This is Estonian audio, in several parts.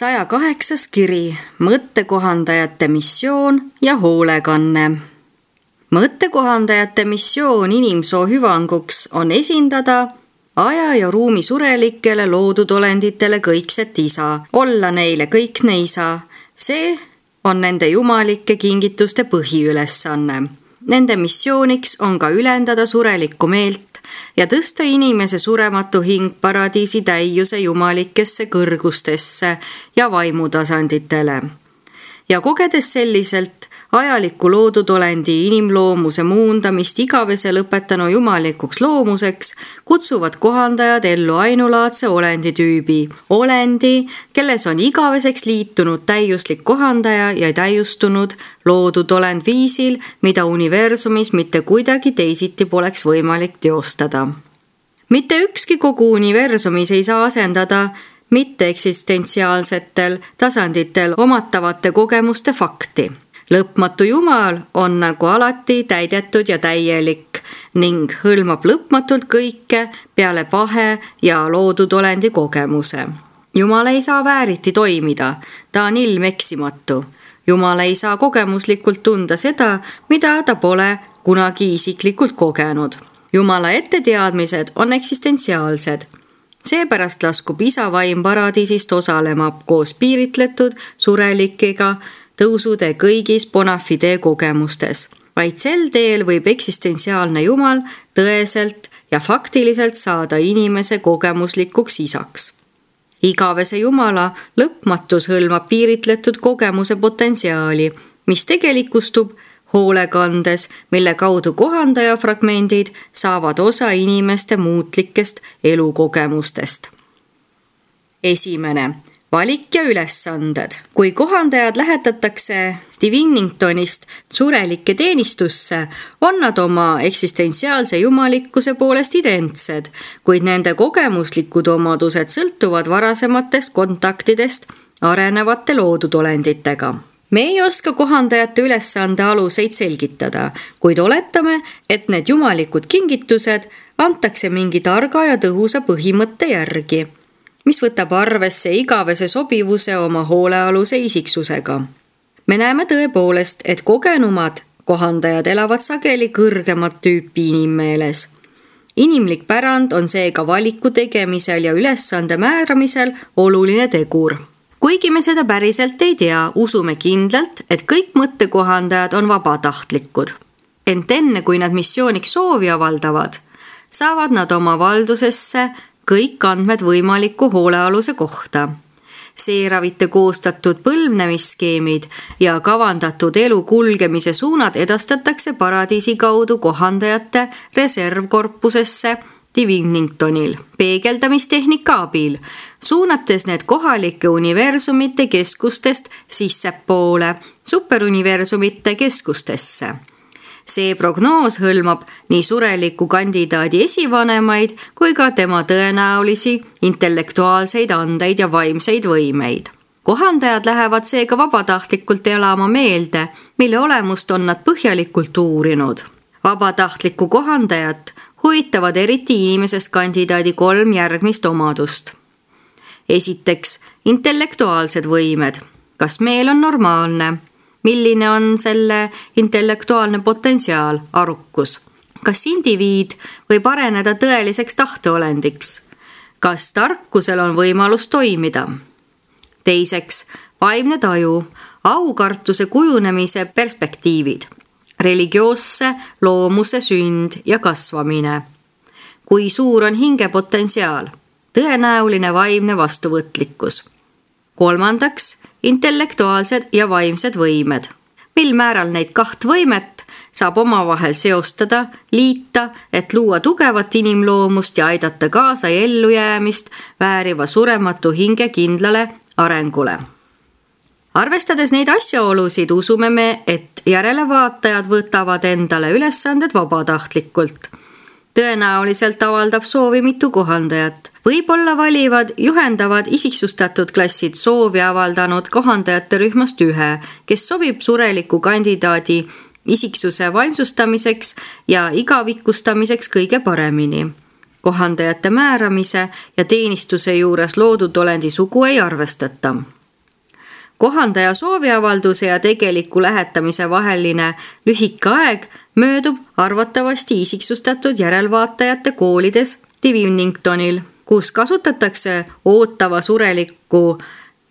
108. kiri, mõttekohandajate missioon ja hoolekanne. Mõttekohandajate missioon inimsoo hüvanguks on esindada aja ja ruumi surelikele loodud olenditele kõikset isa, olla neile kõikne isa. See on nende jumalike kingituste põhiülesanne. Nende missiooniks on ka ülendada surelikku meelt ja tõsta inimese surematu hing paradiisi täiuse jumalikesse kõrgustesse ja vaimutasanditele. Ja kogedes selliselt ajalikku loodud olendi inimloomuse muundamist igavese lõpetanu jumalikuks loomuseks, kutsuvad kohandajad ellu ainulaadse olenditüübi. Olendi, kelles on igaveseks liitunud täiuslik kohandaja ja täiustunud loodud olend viisil, mida universumis mitte kuidagi teisiti poleks võimalik teostada. Mitte ükski kogu universumis ei saa asendada mitteeksistentsiaalsetel tasanditel omatavate kogemuste fakti. Lõpmatu Jumal on nagu alati täidetud ja täielik ning hõlmab lõpmatult kõike peale pahe ja loodud olendi kogemuse. Jumal ei saa vääriti toimida, ta on ilmeksimatu. Jumal ei saa kogemuslikult tunda seda, mida ta pole kunagi isiklikult kogenud. Jumala etteteadmised on eksistentsiaalsed. Seepärast laskub isa vaim paradiisist osalema koos piiritletud surelikega tõusude kõigis bona fide kogemustes. Vaid sel teel võib eksistentsiaalne Jumal tõeselt ja faktiliselt saada inimese kogemuslikuks isaks. Igavese Jumala lõpmatus hõlmab piiritletud kogemuse potentsiaali, mis tegelikustub hoolekandes, mille kaudu kohandaja fragmendid saavad osa inimeste muutlikest elukogemustest. 1. Valik ja ülesanded. Kui kohandajad lähetatakse Diviningtonist surelike teenistusse, on nad oma eksistentsiaalse jumalikkuse poolest identsed, kuid nende kogemuslikud omadused sõltuvad varasematest kontaktidest arenevate loodud olenditega. Me ei oska kohandajate ülesande aluseid selgitada, kuid oletame, et need jumalikud kingitused antakse mingi targa ja tõhusa põhimõtte järgi, mis võtab arvesse igavese sobivuse oma hoolealuse isiksusega. Me näeme tõepoolest, et kogenumad kohandajad elavad sageli kõrgemat tüüpi inimmeeles. Inimlik pärand on seega valiku tegemisel ja ülesande määramisel oluline tegur. Kuigi me seda päriselt ei tea, usume kindlalt, et kõik mõttekohandajad on vabatahtlikud. Ent enne, kui nad missiooniks soovi avaldavad, saavad nad oma valdusesse kõik andmed võimaliku hoolealuse kohta. Seeravite koostatud põlvnemisskeemid ja kavandatud elu kulgemise suunad edastatakse paradiisi kaudu kohandajate reservkorpusesse Diviningtonil peegeldamistehnika abil, suunates need kohalike universumite keskustest sissepoole superuniversumite keskustesse. See prognoos hõlmab nii sureliku kandidaadi esivanemaid kui ka tema tõenäolisi intellektuaalseid andeid ja vaimseid võimeid. Kohandajad lähevad seega vabatahtlikult elama meelde, mille olemust on nad põhjalikult uurinud. Vabatahtlikku kohandajat huvitavad eriti inimesest kandidaadi 3 järgmist omadust. Esiteks, intellektuaalsed võimed. Kas meel on normaalne? Milline on selle intellektuaalne potentsiaal, arukus? Kas indiviid võib areneda tõeliseks tahteolendiks? Kas tarkusel on võimalus toimida? Teiseks, vaimne taju, aukartuse kujunemise perspektiivid, religioosse loomuse sünd ja kasvamine. Kui suur on hingepotentsiaal, tõenäoline vaimne vastuvõtlikkus. Kolmandaks, intellektuaalsed ja vaimsed võimed. Mil määral neid 2 võimet saab omavahel seostada, liita, et luua tugevat inimloomust ja aidata kaasa ellujäämist vääriva surematu hinge kindlale arengule. Arvestades neid asjaolusid, usume me, et järelevaatajad võtavad endale ülesanded vabatahtlikult. Tõenäoliselt avaldab soovi mitu kohandajat. Võib-olla valivad juhendavad isiksustatud klassid soovi avaldanud kohandajate rühmast 1, kes sobib sureliku kandidaadi isiksuse vaimsustamiseks ja igavikustamiseks kõige paremini. Kohandajate määramise ja teenistuse juures loodud olendi sugu ei arvestata. Kohandaja sooviavalduse ja tegeliku lähetamise vaheline lühike aeg möödub arvatavasti isiksustatud järelvaatajate koolides Diviningtonil, kus kasutatakse ootava sureliku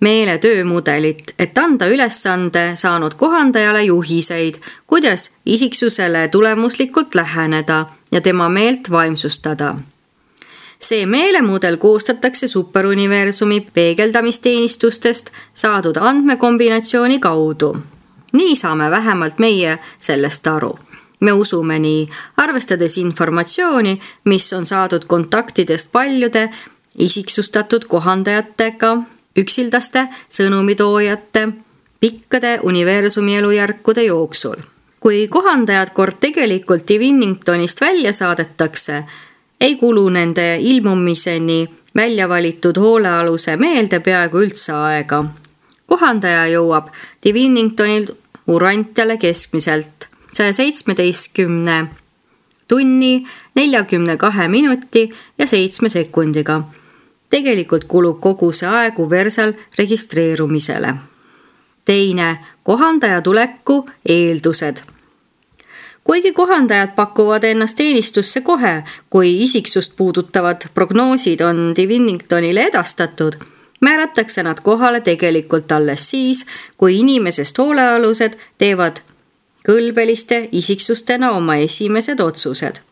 meele töömudelit, et anda ülesande saanud kohandajale juhiseid, kuidas isiksusele tulemuslikult läheneda ja tema meelt vaimsustada. See meelemudel koostatakse superuniversumi peegeldamisteenistustest saadud andmekombinatsiooni kaudu. Nii saame vähemalt meie sellest aru. Me usume nii, arvestades informatsiooni, mis on saadud kontaktidest paljude isiksustatud kohandajatega, üksildaste sõnumitoojate, pikkade universumi elujärkude jooksul. Kui kohandajad kord tegelikult Diviningtonist välja saadetakse, ei kulu nende ilmumiseni välja valitud hoolealuse meelde peaaegu üldse aega. Kohandaja jõuab Diviningtonil Urantiale keskmiselt 117 tunni, 42 minuti ja 7 sekundiga. Tegelikult kulub kogu see aeg Uversal registreerumisele. Teine, kohandaja tuleku eeldused. Kuigi kohandajad pakuvad ennast teenistusse kohe, kui isiksust puudutavad prognoosid on Diviningtonile edastatud, määratakse nad kohale tegelikult alles siis, kui inimesest hoolealused teevad kõlbeliste isiksustena oma esimesed otsused.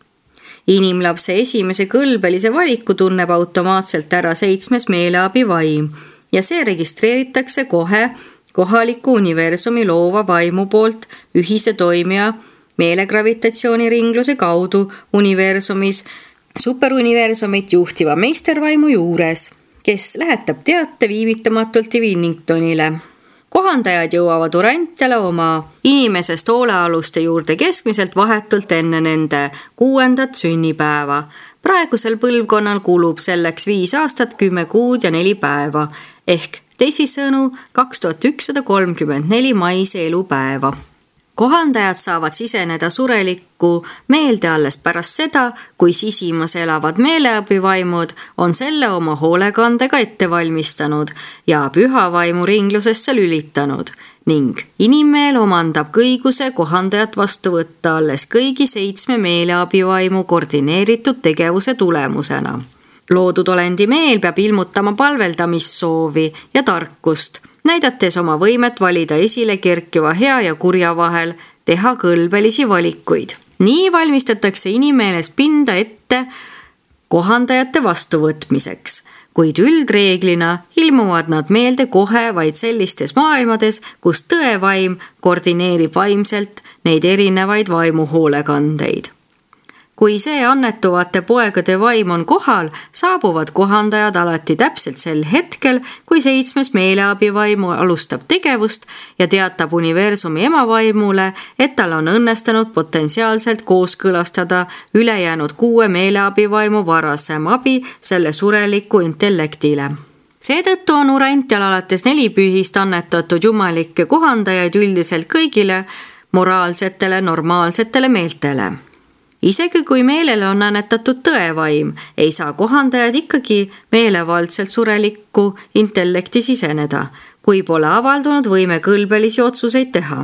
Inimlapse esimese kõlbelise valiku tunneb automaatselt ära 7. meeleabivaim ja see registreeritakse kohe kohaliku universumi loova vaimu poolt ühise toimija meelegravitatsiooniringluse kaudu universumis superuniversumit juhtiva meistervaimu juures, kes lähetab teate viivitamatult Diviningtonile. Kohandajad jõuavad Urantiale oma inimesest hoolealuste juurde keskmiselt vahetult enne nende 6. sünnipäeva. Praegusel põlvkonnal kulub selleks 5 aastat, 10 kuud ja 4 päeva, ehk teisisõnu 2134 maise elupäeva. Kohandajad saavad siseneda surelikku meelde alles pärast seda, kui sisimas elavad meeleabivaimud on selle oma hoolekandega ette valmistanud ja pühavaimu ringlusesse lülitanud ning inimmeel omandab kõiguse kohandajat vastu võtta alles kõigi 7 meeleabivaimu koordineeritud tegevuse tulemusena. Loodud olendi meel peab ilmutama palveldamissoovi ja tarkust, näidates oma võimet valida esile kerkiva hea ja kurja vahel, teha kõlbelisi valikuid. Nii valmistatakse inimeeles pinda ette kohandajate vastuvõtmiseks, kuid üldreeglina ilmuvad nad meelde kohe vaid sellistes maailmades, kus tõevaim koordineerib vaimselt neid erinevaid vaimuhoolekandeid. Kui see annetuvate poegade vaim on kohal, saabuvad kohandajad alati täpselt sel hetkel, kui 7. meeleabivaimu alustab tegevust ja teatab universumi emavaimule, et tal on õnnestunud potentsiaalselt kooskõlastada ülejäänud 6 meeleabivaimu varasem abi selle sureliku intellektile. Seetõttu on Urantial alates 4 pühist annetatud jumalikke kohandajaid üldiselt kõigile moraalsetele, normaalsetele meeltele. Isegi kui meelele on annetatud tõevaim, ei saa kohandajad ikkagi meelevaldselt surelikku intellekti siseneda, kui pole avaldunud võime kõlbelisi otsuseid teha.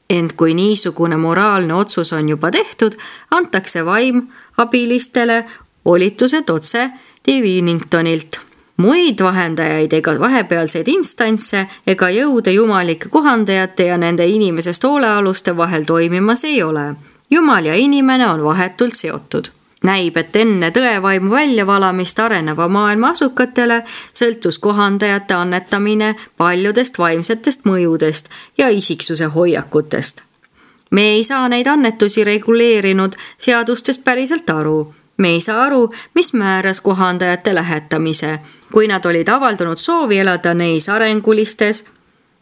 Ent kui niisugune moraalne otsus on juba tehtud, antakse vaim abilistele volitused otse Diviningtonilt. Muid vahendajaid ega vahepealseid instantse ega jõude jumalike kohandajate ja nende inimesest hoolealuste vahel toimimas ei ole. Jumal ja inimene on vahetult seotud. Näib, et enne tõevaimu väljavalamist areneva maailma asukatele sõltus kohandajate annetamine paljudest vaimsetest mõjudest ja isiksuse hoiakutest. Me ei saa neid annetusi reguleerinud seadustest päriselt aru. Me ei saa aru, mis määras kohandajate lähetamise, kui nad olid avaldunud soovi elada neis arengulistes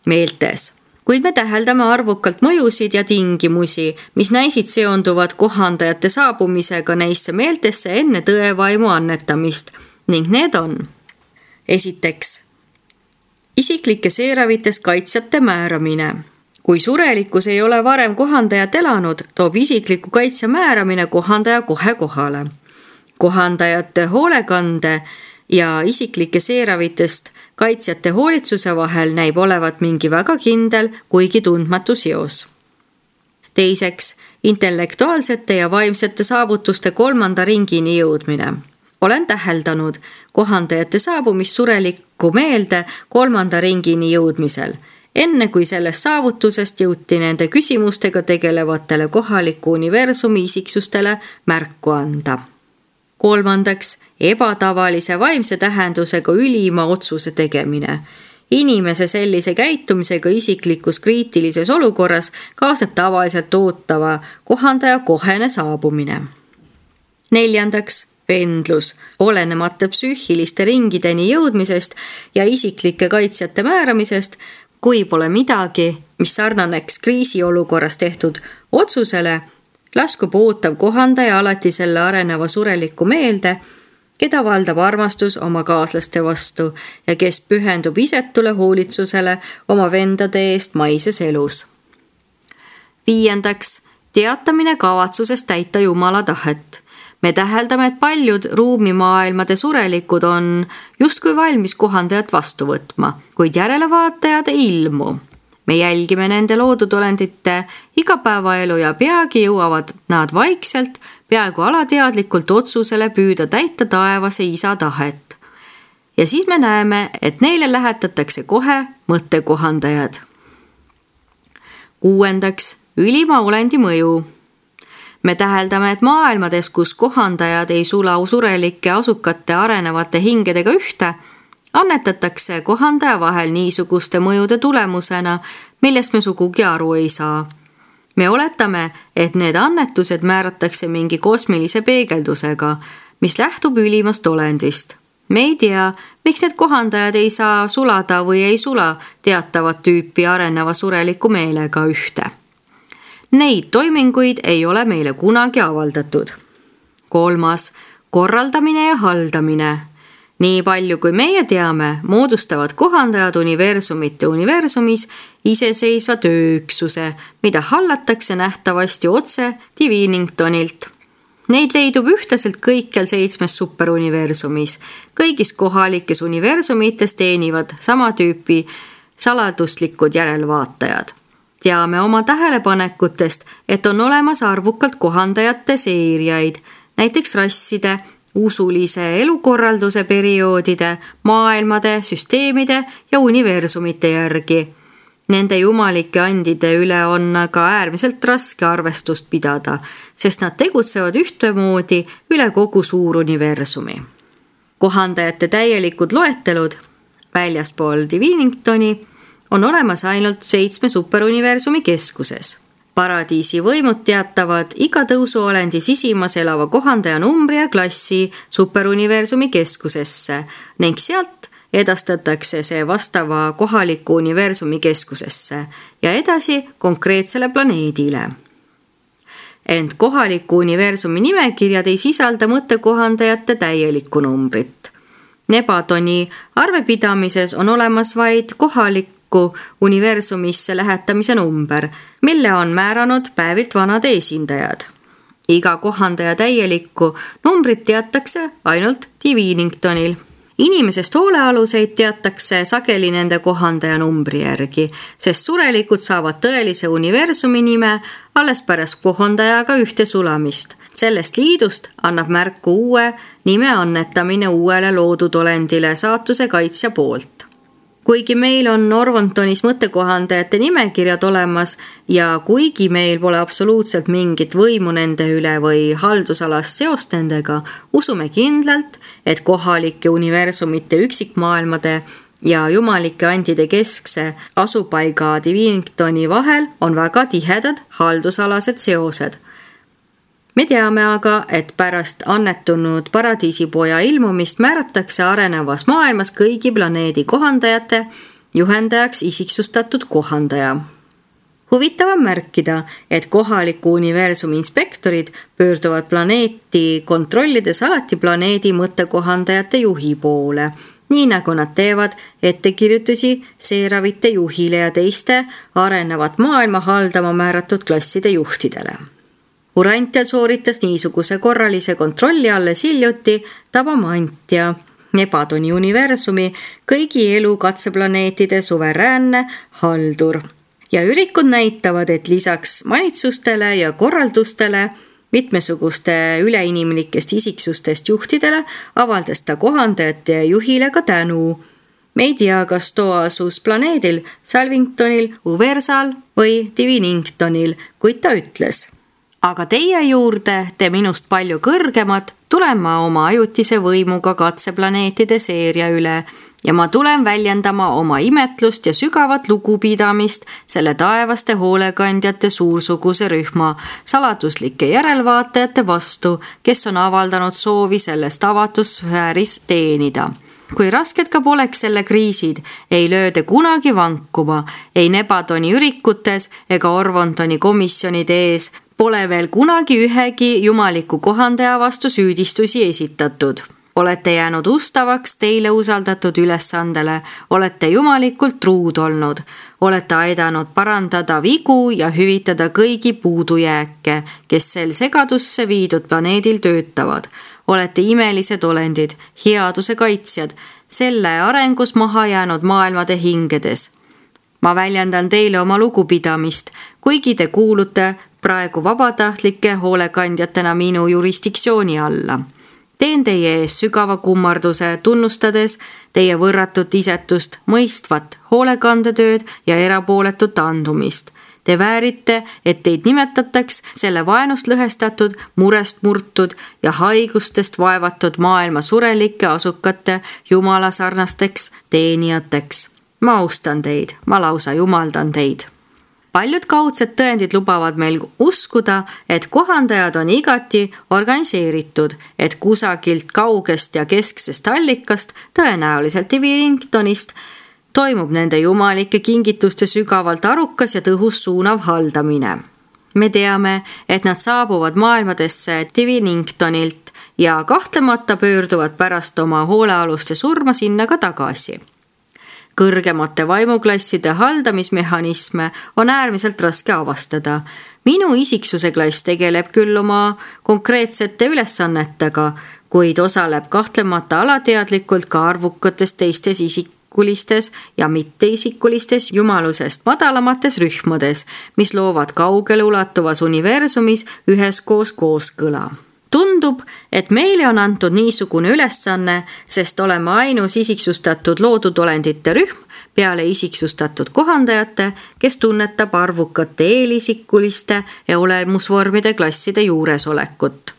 meeltes. Kuid me täheldame arvukalt mõjusid ja tingimusi, mis näisid seonduvad kohandajate saabumisega neisse meeltesse enne tõevaimu annetamist ning need on: esiteks, isiklike seeravitest kaitsjate määramine. Kui surelikkus ei ole varem kohandajat elanud, toob isikliku kaitsja määramine kohandaja kohe kohale. Kohandajate hoolekande ja isiklike seeravitest kaitsjate hoolitsuse vahel näib olevat mingi väga kindel, kuigi tundmatu seos. Teiseks, intellektuaalsete ja vaimsete saavutuste 3. ringini jõudmine. Olen täheldanud kohandajate saabumist surelikku meelde 3. ringini jõudmisel, enne kui sellest saavutusest jõuti nende küsimustega tegelevatele kohaliku universumi isiksustele märku anda. 3. ebatavalise vaimse tähendusega ülima otsuse tegemine. Inimese sellise käitumisega isiklikus kriitilises olukorras kaasneb tavaliselt ootava kohandaja kohene saabumine. 4. pendlus, olenemata psüühiliste ringideni jõudmisest ja isiklike kaitsjate määramisest, kui pole midagi, mis sarnaneks kriisiolukorras tehtud otsusele, laskub ootav kohandaja alati selle areneva sureliku meelde, keda valdab armastus oma kaaslaste vastu ja kes pühendub isetule hoolitsusele oma vendade eest maises elus. 5. teatamine kavatsusest täita Jumala tahet. Me täheldame, et paljud ruumimaailmade surelikud on justkui valmis kohandajat vastu võtma, kuid järelevaatajad ei ilmu. Me jälgime nende loodudolendite igapäevaelu ja peagi jõuavad nad vaikselt, peaaegu alateadlikult otsusele püüda täita taevase isa tahet. Ja siis me näeme, et neile lähetatakse kohe mõttekohandajad. 6. ülima olendi mõju. Me täheldame, et maailmades, kus kohandajad ei sula surelike asukate arenevate hingedega ühte, annetatakse kohandaja vahel niisuguste mõjude tulemusena, millest me sugugi aru ei saa. Me oletame, et need annetused määratakse mingi kosmilise peegeldusega, mis lähtub ülimast olendist. Me ei tea, miks need kohandajad ei saa sulada või ei sula teatavat tüüpi areneva sureliku meelega ühte. Neid toiminguid ei ole meile kunagi avaldatud. 3. korraldamine ja haldamine. Nii palju kui meie teame, moodustavad kohandajad universumite universumis iseseisva tööüksuse, mida hallatakse nähtavasti otse Diviningtonilt. Neid leidub ühtlaselt kõikjal 7 superuniversumis. Kõigis kohalikes universumites teenivad sama tüüpi saladuslikud järelvaatajad. Teame oma tähelepanekutest, et on olemas arvukalt kohandajate seeriaid, näiteks rasside, usulise elukorralduse perioodide, maailmade, süsteemide ja universumite järgi. Nende jumalike andide üle on aga äärmiselt raske arvestust pidada, sest nad tegutsevad ühtemoodi üle kogu suur universumi. Kohandajate täielikud loetelud väljaspool Diviningtoni on olemas ainult 7 superuniversumi keskuses. Paradiisi võimud teatavad iga tõusuolendi sisimas elava kohandaja numbri ja klassi superuniversumi keskusesse ning sealt edastatakse see vastava kohaliku universumi keskusesse ja edasi konkreetsele planeedile. Ent kohaliku universumi nimekirjad ei sisalda mõttekohandajate täielikku numbrit. Nebatoni arvepidamises on olemas vaid kohalik universumisse lähetamise number, mille on määranud päevilt vanade esindajad. Iga kohandaja täielikku numbrit teatakse ainult Diviningtonil. Inimesest hoolealuseid teatakse sageli nende kohandaja numbri järgi, sest surelikud saavad tõelise universumi nime alles pärast kohandajaga ühte sulamist. Sellest liidust annab märku uue nime annetamine uuele loodudolendile saatuse kaitsja poolt. Kuigi meil on Orvontonis mõttekohandajate nimekirjad olemas ja kuigi meil pole absoluutselt mingit võimu nende üle või haldusalast seost nendega, usume kindlalt, et kohalike universumite üksikmaailmade ja jumalike andide keskse asupaiga Diviningtoni vahel on väga tihedad haldusalased seosed. Me teame aga, et pärast annetunud paradiisipoja ilmumist määratakse arenevas maailmas kõigi planeedi kohandajate juhendajaks isiksustatud kohandaja. Huvitav on märkida, et kohaliku universumi inspektorid pöörduvad planeeti kontrollides alati planeedi mõttekohandajate juhi poole, nii nagu nad teevad ettekirjutusi seeravite juhile ja teiste arenevat maailma haldama määratud klasside juhtidele. Urantial sooritas niisuguse korralise kontrolli alles hiljuti Tabamantja, Nebadoni universumi kõigi elu katseplaneetide suveräänne haldur. Ja ürikud näitavad, et lisaks manitsustele ja korraldustele mitmesuguste üleinimlikest isiksustest juhtidele avaldas ta kohandajate juhile ka tänu. Me ei tea, kas too asus planeedil Salvingtonil, Uversal või Diviningtonil, kuid ta ütles: aga teie juurde, te minust palju kõrgemad, tulen ma oma ajutise võimuga katseplaneetide seeria üle ja ma tulen väljendama oma imetlust ja sügavat lugupidamist selle taevaste hoolekandjate suursuguse rühma saladuslike järelvaatajate vastu, kes on avaldanud soovi selles avatud sfääris teenida. Kui rasked ka poleks selle kriisid, ei lööde kunagi vankuma, ei Nebadoni ürikutes ega Orvontoni komisjonide ees pole veel kunagi ühegi jumaliku kohandaja vastu süüdistusi esitatud. Olete jäänud ustavaks teile usaldatud ülesandele, olete jumalikult truud olnud, olete aidanud parandada vigu ja hüvitada kõigi puudujääke, kes sel segadusse viidud planeedil töötavad. Olete imelised olendid, headuse kaitsjad, selle arengus maha jäänud maailmade hingedes. Ma väljendan teile oma lugupidamist, kuigi te kuulute praegu vabatahtlike hoolekandjatena minu jurisdiktsiooni alla. Teen teie ees sügava kummarduse, tunnustades teie võrratut isetust, mõistvat hoolekandetööd ja erapooletut andumist. Te väärite, et teid nimetataks selle vaenust lõhestatud, murest murtud ja haigustest vaevatud maailma surelike asukate jumala sarnasteks teenijateks. Ma austan teid, ma lausa jumaldan teid. Paljud kaudsed tõendid lubavad meil uskuda, et kohandajad on igati organiseeritud, et kusagilt kaugest ja kesksest allikast, tõenäoliselt Diviningtonist, toimub nende jumalike kingituste sügavalt arukas ja tõhus suunav haldamine. Me teame, et nad saabuvad maailmadesse Diviningtonilt ja kahtlemata pöörduvad pärast oma hoolealuste surma sinna ka tagasi. Kõrgemate vaimuklasside haldamismehhanisme on äärmiselt raske avastada. Minu isiksuse klass tegeleb küll oma konkreetsete ülesannetega, kuid osaleb kahtlemata alateadlikult ka arvukates teistes isikulistes ja mitteisikulistes jumalusest madalamates rühmades, mis loovad kaugele ulatuvas universumis üheskoos kooskõla. Tundub, et meile on antud niisugune ülesanne, sest oleme ainus isiksustatud loodud olendite rühm peale isiksustatud kohandajate, kes tunnetab arvukate eelisikuliste ja olemusvormide klasside juuresolekut.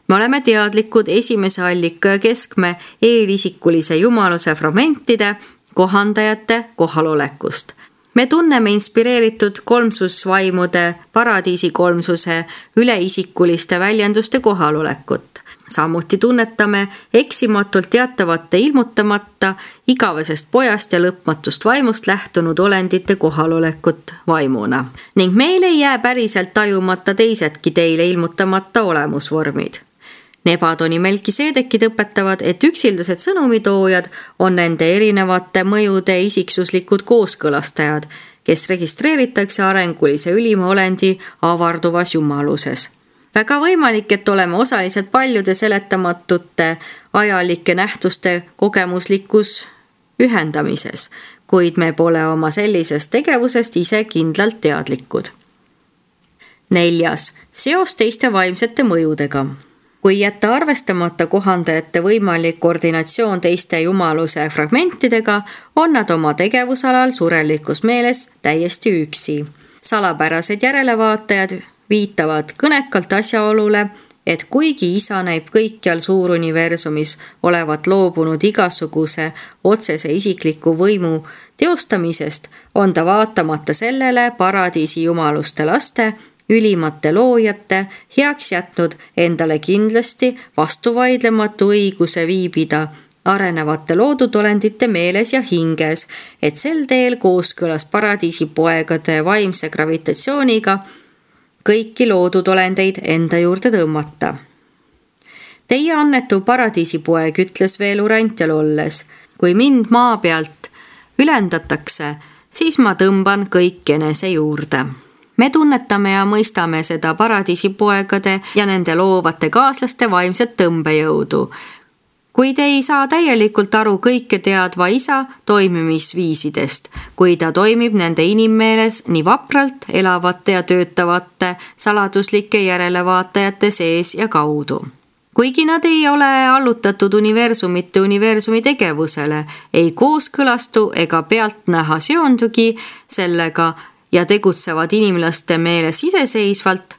Me oleme teadlikud esimese allika ja keskme eelisikulise jumaluse fragmentide kohandajate kohalolekust. Me tunneme inspireeritud kolmsusvaimude paradiisi kolmsuse üleisikuliste väljenduste kohalolekut. Samuti tunnetame eksimatult teatavate ilmutamata igavesest pojast ja lõpmatust vaimust lähtunud olendite kohalolekut vaimuna. Ning meil ei jää päriselt tajumata teisedki teile ilmutamata olemusvormid. Nebadoni Melkiseedekid õpetavad, et üksildased sõnumitoojad on nende erinevate mõjude isiksuslikud kooskõlastajad, kes registreeritakse arengulise ülima olendi avarduvas jumaluses. Väga võimalik, et oleme osalised paljude seletamatute ajalike nähtuste kogemuslikus ühendamises, kuid me pole oma sellisest tegevusest ise kindlalt teadlikud. 4. Seos teiste vaimsete mõjudega. Kui jätta arvestamata kohandajate võimalik koordinatsioon teiste jumaluse fragmentidega, on nad oma tegevusalal surelikus meeles täiesti üksi. Salapärased järelevaatajad viitavad kõnekalt asjaolule, et kuigi isa näib kõikjal suuruniversumis olevat loobunud igasuguse otsese isikliku võimu teostamisest, on ta vaatamata sellele paradiisi jumaluste laste ülimate loojate heaks jätnud endale kindlasti vastuvaidlematu õiguse viibida arenevate loodud olendite meeles ja hinges, et sel teel kooskõlas paradiisi poegade vaimse gravitatsiooniga kõiki loodud olendeid enda juurde tõmmata. Teie annetu paradiisipoeg ütles veel Urantial olles, kui mind maa pealt ülendatakse, siis ma tõmban kõik enese juurde. Me tunnetame ja mõistame seda paradiisipoegade ja nende loovate kaaslaste vaimset tõmbejõudu. kuid ei saa täielikult aru kõike teadva isa toimimisviisidest, kui ta toimib nende inimmeeles nii vapralt elavate ja töötavate saladuslike järelevaatajate sees ja kaudu. Kuigi nad ei ole allutatud universumi tegevusele, ei kooskõlastu ega pealtnäha seondugi sellega ja tegutsevad inimlaste meeles iseseisvalt,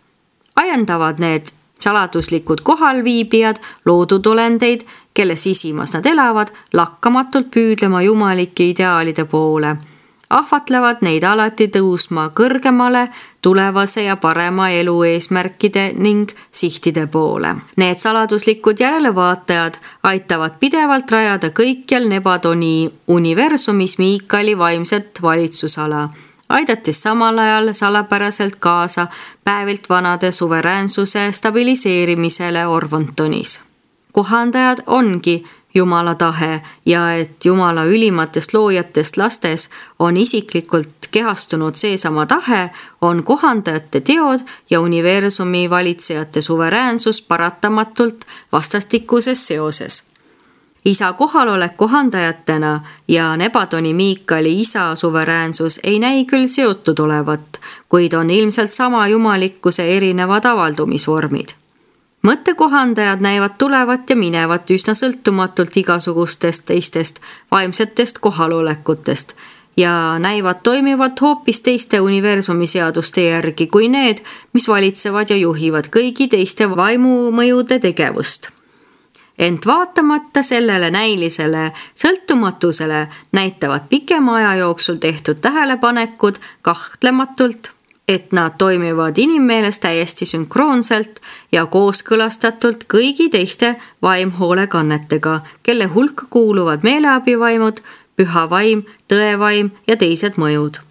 ajendavad need saladuslikud kohalviibijad loodud olendeid, kelle sisimas nad elavad, lakkamatult püüdlema jumalike ideaalide poole. Ahvatlevad neid alati tõusma kõrgemale tulevase ja parema elu eesmärkide ning sihtide poole. Need saladuslikud järelevaatajad aitavad pidevalt rajada kõikjal Nebadoni universumis Miikali vaimset valitsusala, aidates samal ajal salapäraselt kaasa päevilt vanade suveräänsuse stabiliseerimisele Orvontonis. Kohandajad ongi Jumala tahe ja et Jumala ülimatest loojatest lastes on isiklikult kehastunud seesama tahe, on kohandajate teod ja universumi valitsejate suveräänsus paratamatult vastastikuses seoses. Isa kohalolek kohandajatena ja Nebadoni Miikali isa suveräänsus ei näi küll seotud olevat, kuid on ilmselt sama jumalikkuse erinevad avaldumisvormid. Mõttekohandajad näivad tulevat ja minevat üsna sõltumatult igasugustest teistest vaimsetest kohalolekutest ja näivad toimivat hoopis teiste universumi seaduste järgi kui need, mis valitsevad ja juhivad kõigi teiste vaimumõjude tegevust. Ent vaatamata sellele näilisele sõltumatusele näitavad pikema aja jooksul tehtud tähelepanekud kahtlematult, et nad toimivad inimmeeles täiesti sünkroonselt ja kooskõlastatult kõigi teiste vaimhoolekannetega, kelle hulka kuuluvad meeleabivaimud, püha vaim, tõevaim ja teised mõjud.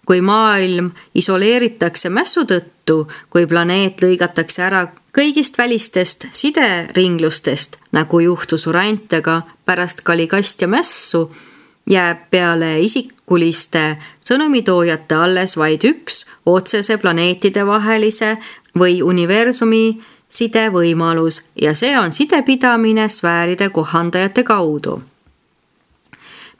Kui maailm isoleeritakse mässu tõttu, kui planeet lõigatakse ära kõigist välistest sideringlustest, nagu juhtus Urantega pärast Kaligast ja mässu, jääb peale isikuliste sõnumitoojate alles vaid üks otsese planeetide vahelise või universumi sidevõimalus ja see on sidepidamine sfääride kohandajate kaudu.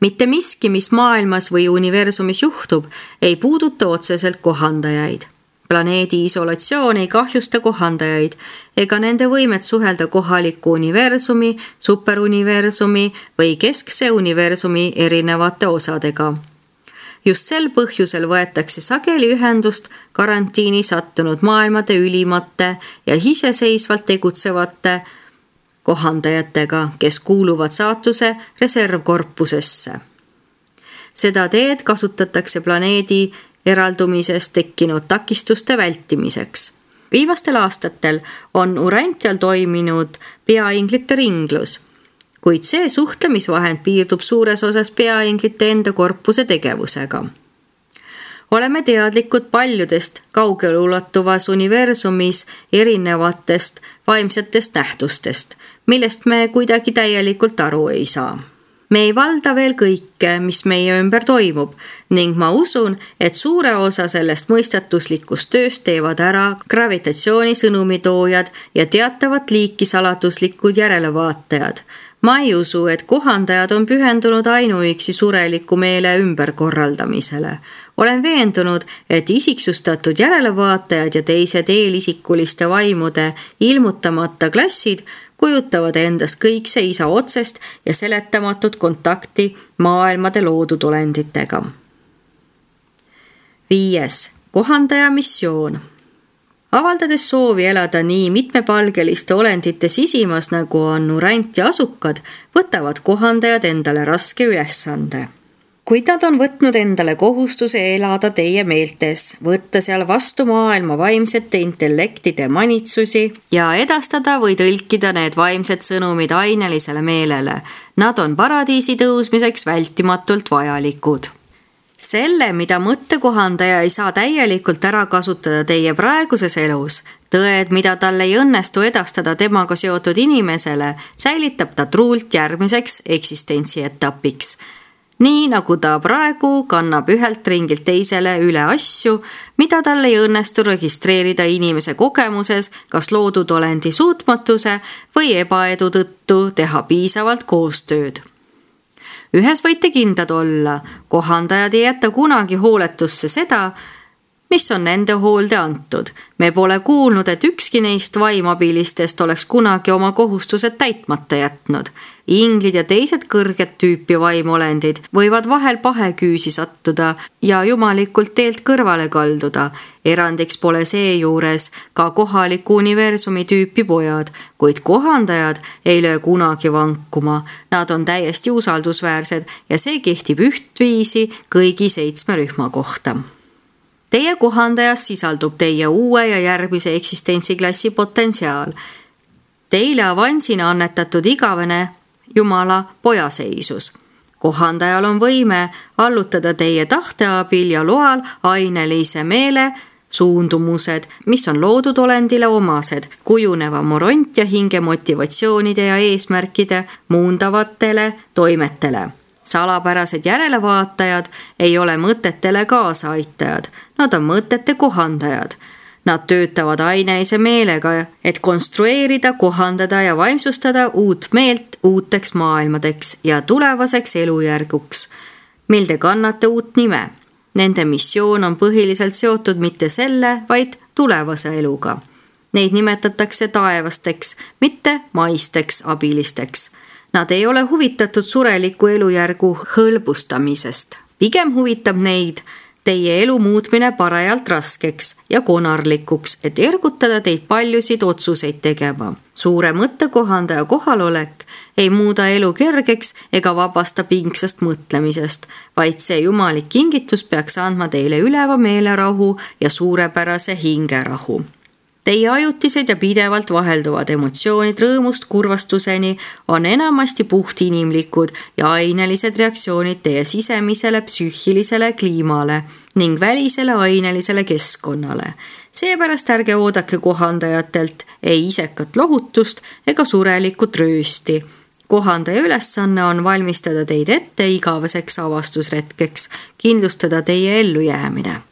Mitte miski, mis maailmas või universumis juhtub, ei puuduta otseselt kohandajaid. Planeedi isolatsioon ei kahjusta kohandajaid ega nende võimet suhelda kohaliku universumi, superuniversumi või keskse universumi erinevate osadega. Just sel põhjusel võetakse sageli ühendust karantiini sattunud maailmade ülimate ja iseseisvalt tegutsevate kohandajatega, kes kuuluvad saatuse reservkorpusesse. Seda teed kasutatakse planeedi eraldumisest tekkinud takistuste vältimiseks. Viimastel aastatel on Urantial toiminud peainglite ringlus, kuid see suhtlemisvahend piirdub suures osas peainglite enda korpuse tegevusega. Oleme teadlikud paljudest kaugelulatuvas universumis erinevatest vaimsetest nähtustest, millest me kuidagi täielikult aru ei saa. Me ei valda veel kõike, mis meie ümber toimub ning ma usun, et suure osa sellest mõistatuslikust tööst teevad ära gravitatsiooni sõnumitoojad ja teatavat liiki saladuslikud järelevaatajad. Ma ei usu, et kohandajad on pühendunud ainuüksi sureliku meele ümberkorraldamisele. Olen veendunud, et isiksustatud järelevaatajad ja teised eelisikuliste vaimude ilmutamata klassid kujutavad endast kõikse isa otsest ja seletamatut kontakti maailmade loodud olenditega. 5. Kohandaja missioon. Avaldades soovi elada nii mitmepalgeliste olendite sisimas, nagu on Urant ja asukad, võtavad kohandajad endale raske ülesande. Kuid nad on võtnud endale kohustuse elada teie meeltes, võtta seal vastu maailma vaimsete intellektide manitsusi ja edastada või tõlkida need vaimsed sõnumid ainelisele meelele. Nad on paradiisi tõusmiseks vältimatult vajalikud. Selle, mida mõttekohandaja ei saa täielikult ära kasutada teie praeguses elus, tõed, mida tal ei õnnestu edastada temaga seotud inimesele, säilitab ta truult järgmiseks eksistentsietapiks. Nii nagu ta praegu kannab ühelt ringilt teisele üle asju, mida tal ei õnnestu registreerida inimese kogemuses, kas loodud olendi suutmatuse või ebaedu tõttu teha piisavalt koostööd. Ühes võite kindlad olla, kohandajad ei jäta kunagi hooletusse seda, mis on nende hoolde antud. Me pole kuulnud, et ükski neist vaimabilistest oleks kunagi oma kohustused täitmata jätnud. Inglid ja teised kõrget tüüpi vaimolendid võivad vahel paheküüsi sattuda ja jumalikult teelt kõrvale kalduda. Erandiks pole seejuures ka kohaliku universumi tüüpi pojad, kuid kohandajad ei löö kunagi vankuma. Nad on täiesti usaldusväärsed ja see kehtib ühtviisi kõigi 7 rühma kohta. Teie kohandajas sisaldub teie uue ja järgmise eksistentsiklassi potentsiaal. Teile avansina annetatud igavene Jumala pojaseisus. Kohandajal on võime allutada teie tahte abil ja loal ainelise meele suundumused, mis on loodud olendile omased, kujuneva moront ja hinge motivatsioonide ja eesmärkide muundavatele toimetele. Salapärased järelevaatajad ei ole mõtetele kaasaaitajad, nad on mõtete kohandajad. Nad töötavad ainelise meelega, et konstrueerida, kohandada ja vaimsustada uut meelt uuteks maailmadeks ja tulevaseks elujärguks, mil te kannate uut nime. Nende missioon on põhiliselt seotud mitte selle, vaid tulevase eluga. Neid nimetatakse taevasteks, mitte maisteks abilisteks. Nad ei ole huvitatud sureliku elujärgu hõlbustamisest. Pigem huvitab neid teie elu muutmine parajalt raskeks ja konarlikuks, et ergutada teid paljusid otsuseid tegema. Suure mõttekohandaja kohalolek ei muuda elu kergeks ega vabasta pingsast mõtlemisest, vaid see jumalik kingitus peaks andma teile üleva meelerahu ja suurepärase hingerahu. Teie ajutised ja pidevalt vahelduvad emotsioonid rõõmust kurvastuseni on enamasti puhtinimlikud ja ainelised reaktsioonid teie sisemisele psüühilisele kliimale ning välisele ainelisele keskkonnale. Seepärast ärge oodake kohandajatelt ei isekat lohutust ega surelikut röösti. Kohandaja ülesanne on valmistada teid ette igaveseks avastusretkeks, kindlustada teie ellujäämine.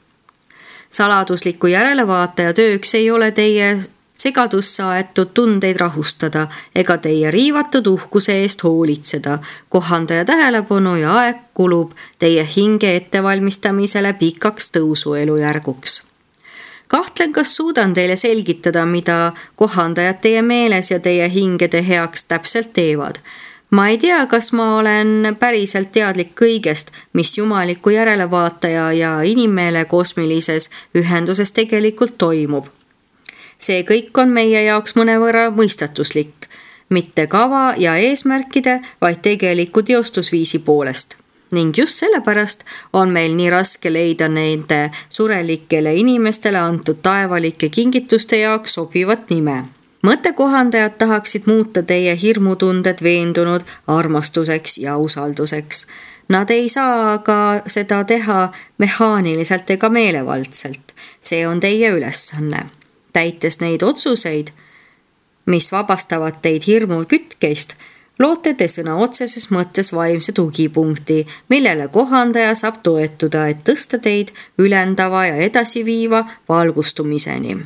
Saladusliku järelevaataja tööks ei ole teie segadusse aetud tundeid rahustada ega teie riivatud uhkuse eest hoolitseda. Kohandaja tähelepanu ja aeg kulub teie hinge ettevalmistamisele pikaks tõusuelujärguks. Kahtlen, kas suudan teile selgitada, mida kohandajad teie meeles ja teie hingede heaks täpselt teevad. Ma ei tea, kas ma olen päriselt teadlik kõigest, mis jumaliku järelevaataja ja inimmeele kosmilises ühenduses tegelikult toimub. See kõik on meie jaoks mõnevõrra mõistatuslik, mitte kava ja eesmärkide, vaid tegeliku teostusviisi poolest. Ning just sellepärast on meil nii raske leida nende surelikele inimestele antud taevalike kingituste jaoks sobivat nime. Mõttekohandajad tahaksid muuta teie hirmutunded veendunud armastuseks ja usalduseks. Nad ei saa aga seda teha mehaaniliselt ega meelevaldselt. See on teie ülesanne. Täites neid otsuseid, mis vabastavad teid hirmu kütkeist, loote te sõna otseses mõttes vaimse tugipunkti, millele kohandaja saab toetuda, et tõsta teid ülendava ja edasiviiva valgustumiseni.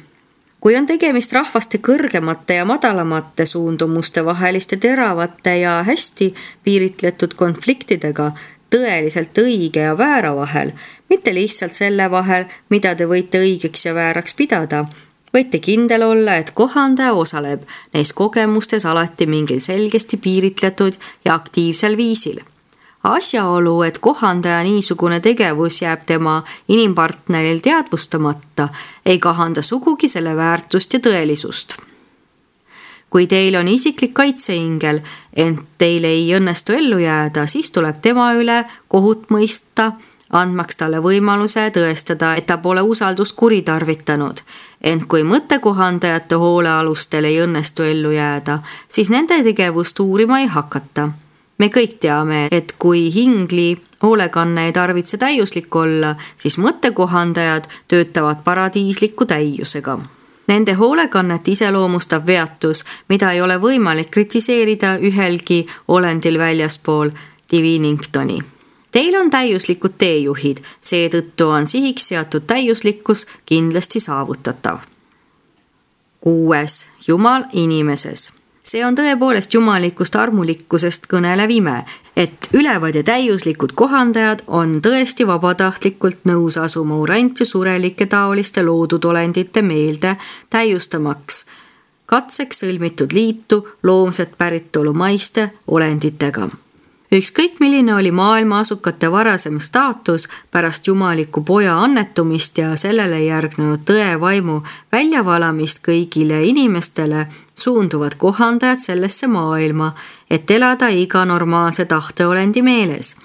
Kui on tegemist rahvaste kõrgemate ja madalamate suundumuste vaheliste teravate ja hästi piiritletud konfliktidega tõeliselt õige ja väära vahel, mitte lihtsalt selle vahel, mida te võite õigeks ja vääraks pidada, võite kindel olla, et kohandaja osaleb neis kogemustes alati mingil selgesti piiritletud ja aktiivsel viisil. Asjaolu, et kohandaja niisugune tegevus jääb tema inimpartneril teadvustamata, ei kahanda sugugi selle väärtust ja tõelisust. Kui teil on isiklik kaitseingel, ent teil ei õnnestu ellu jääda, siis tuleb tema üle kohut mõista, andmaks talle võimaluse tõestada, et ta pole usaldust kuritarvitanud. Ent kui mõttekohandajate hoolealustel ei õnnestu ellu jääda, siis nende tegevust uurima ei hakata. Me kõik teame, et kui hingli hoolekanne ei tarvitse täiuslik olla, siis mõttekohandajad töötavad paradiisliku täiusega. Nende hoolekannet iseloomustab veatus, mida ei ole võimalik kritiseerida ühelgi olendil väljaspool Diviningtoni. Teil on täiuslikud teejuhid, seetõttu on sihiks seatud täiuslikkus kindlasti saavutatav. 6. Jumal inimeses. See on tõepoolest jumalikust armulikkusest kõnelev ime, et ülevad ja täiuslikud kohandajad on tõesti vabatahtlikult nõus asuma urant ja surelike taoliste loodud olendite meelde täiustamaks katseks sõlmitud liitu loomset päritolu maiste olenditega. Ükskõik milline oli maailma asukate varasem staatus pärast jumaliku poja annetumist ja sellele järgnenud tõe vaimu väljavalamist kõigile inimestele, suunduvad kohandajad sellesse maailma, et elada iga normaalse tahteolendi meeles.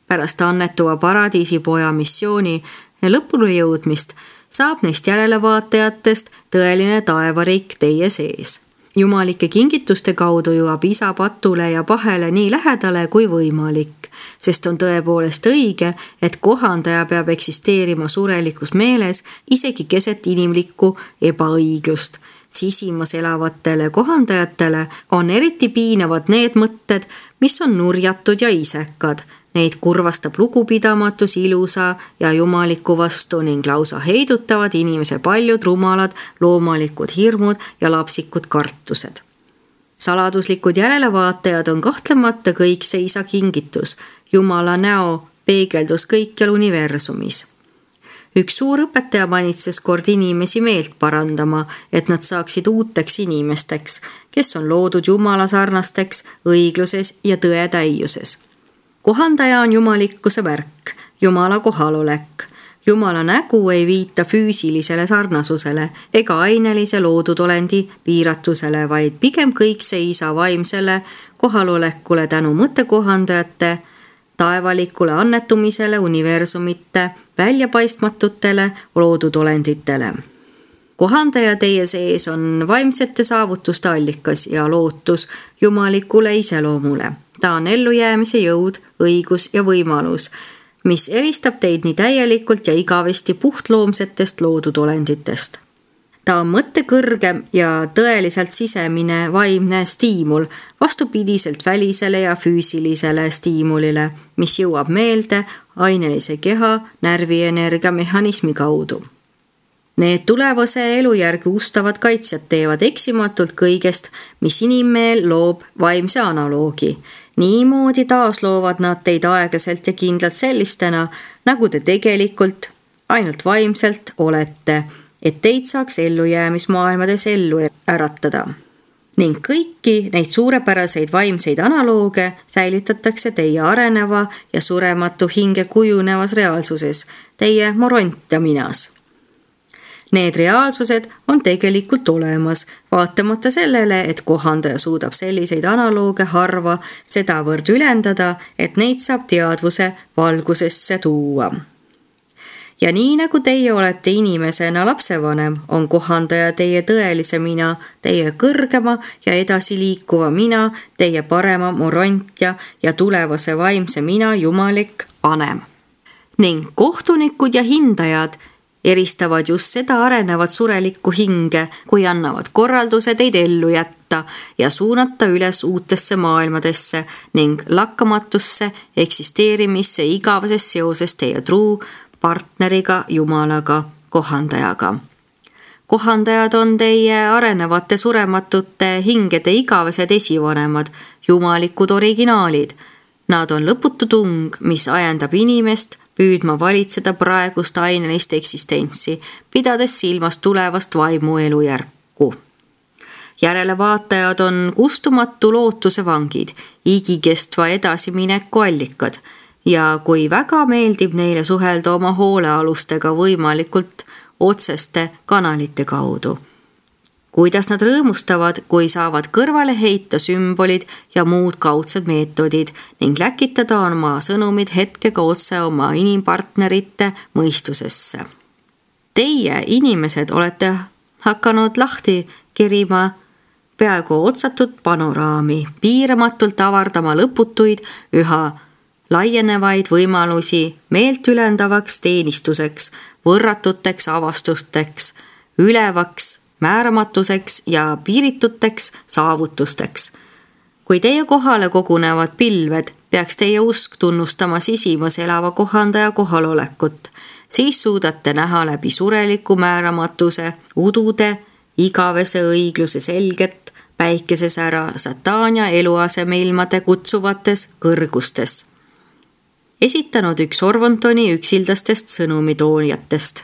Pärast annetuva paradiisi poja missiooni lõpule jõudmist saab neist järelevaatajatest tõeline taevariik teie sees. Jumalike kingituste kaudu jõuab isa patule ja pahele nii lähedale kui võimalik, sest on tõepoolest õige, et kohandaja peab eksisteerima surelikus meeles isegi keset inimlikku ebaõiglust. Sisimas elavatele kohandajatele on eriti piinavad need mõtted, mis on nurjatud ja isekad. Neid kurvastab lugupidamatus ilusa ja jumaliku vastu ning lausa heidutavad inimese paljud rumalad loomalikud hirmud ja lapsikud kartused. Saladuslikud järelevaatajad on kahtlemata kõik see isa kingitus, Jumala näo peegeldus kõikjal universumis. Üks suur õpetaja manitses kord inimesi meelt parandama, et nad saaksid uuteks inimesteks, kes on loodud Jumala sarnasteks õigluses ja tõe täiuses. Kohandaja on jumalikkuse märk, Jumala kohalolek. Jumala nägu ei viita füüsilisele sarnasusele ega ainelise loodud olendi piiratusele, vaid pigem kõik see isa vaimsele kohalolekule tänu mõttekohandajate taevalikule annetumisele universumite väljapaistmatutele loodud olenditele. Kohandaja teie sees on vaimsete saavutuste allikas ja lootus jumalikule iseloomule. Ta on ellujäämise jõud, õigus ja võimalus, mis eristab teid nii täielikult ja igavesti puhtloomsetest loodud olenditest. Ta on mõtte kõrgem ja tõeliselt sisemine vaimne stiimul, vastupidiselt välisele ja füüsilisele stiimulile, mis jõuab meelde ainelise keha närvienergia mehhanismi kaudu. Need tulevase elujärgi ustavad kaitsjad teevad eksimatult kõigest, mis inimmeel loob vaimse analoogi. Niimoodi taasloovad nad teid aeglaselt ja kindlalt sellistena, nagu te tegelikult ainult vaimselt olete, et teid saaks ellujäämismaailmades ellu äratada. Ning kõiki neid suurepäraseid vaimseid analooge säilitatakse teie areneva ja surematu hinge kujunevas reaalsuses, teie moront ja minas. Need reaalsused on tegelikult olemas, vaatamata sellele, et kohandaja suudab selliseid analooge harva sedavõrd ülendada, et neid saab teadvuse valgusesse tuua. Ja nii nagu teie olete inimesena lapsevanem, on kohandaja teie tõelise mina, teie kõrgema ja edasiliikuva mina, teie parema morontja ja tulevase vaimse mina jumalik vanem. Ning kohtunikud ja hindajad eristavad just seda arenevat surelikku hinge, kui annavad korralduse teid ellu jätta ja suunata üles uutesse maailmadesse ning lakkamatusse eksisteerimisse igaveses seoses teie truu partneriga, Jumalaga, kohandajaga. Kohandajad on teie arenevate surematute hingede igavesed esivanemad, jumalikud originaalid. Nad on lõputu tung, mis ajendab inimest püüdma valitseda praegust ainelist eksistentsi, pidades silmas tulevast vaimu elujärku. Järelevaatajad on kustumatu lootuse vangid, igikestva edasimineku allikad ja kui väga meeldib neile suhelda oma hoolealustega võimalikult otseste kanalite kaudu. Kuidas nad rõõmustavad, kui saavad kõrvale heita sümbolid ja muud kaudsed meetodid ning läkitada oma sõnumid hetkega otse oma inimpartnerite mõistusesse. Teie, inimesed, olete hakanud lahti kerima peaaegu otsatut panoraami, piiramatult avardama lõputuid, üha laienevaid võimalusi meelt ülendavaks teenistuseks, võrratuteks avastusteks, ülevaks määramatuseks ja piirituteks saavutusteks. Kui teie kohale kogunevad pilved, peaks teie usk tunnustama sisimas elava kohandaja kohalolekut. Siis suudate näha läbi sureliku määramatuse, udude, igavese õigluse selget, päikeses ära Satania eluasemeilmade kutsuvates kõrgustes. Esitanud üks Orvontoni üksildastest sõnumitoonijatest.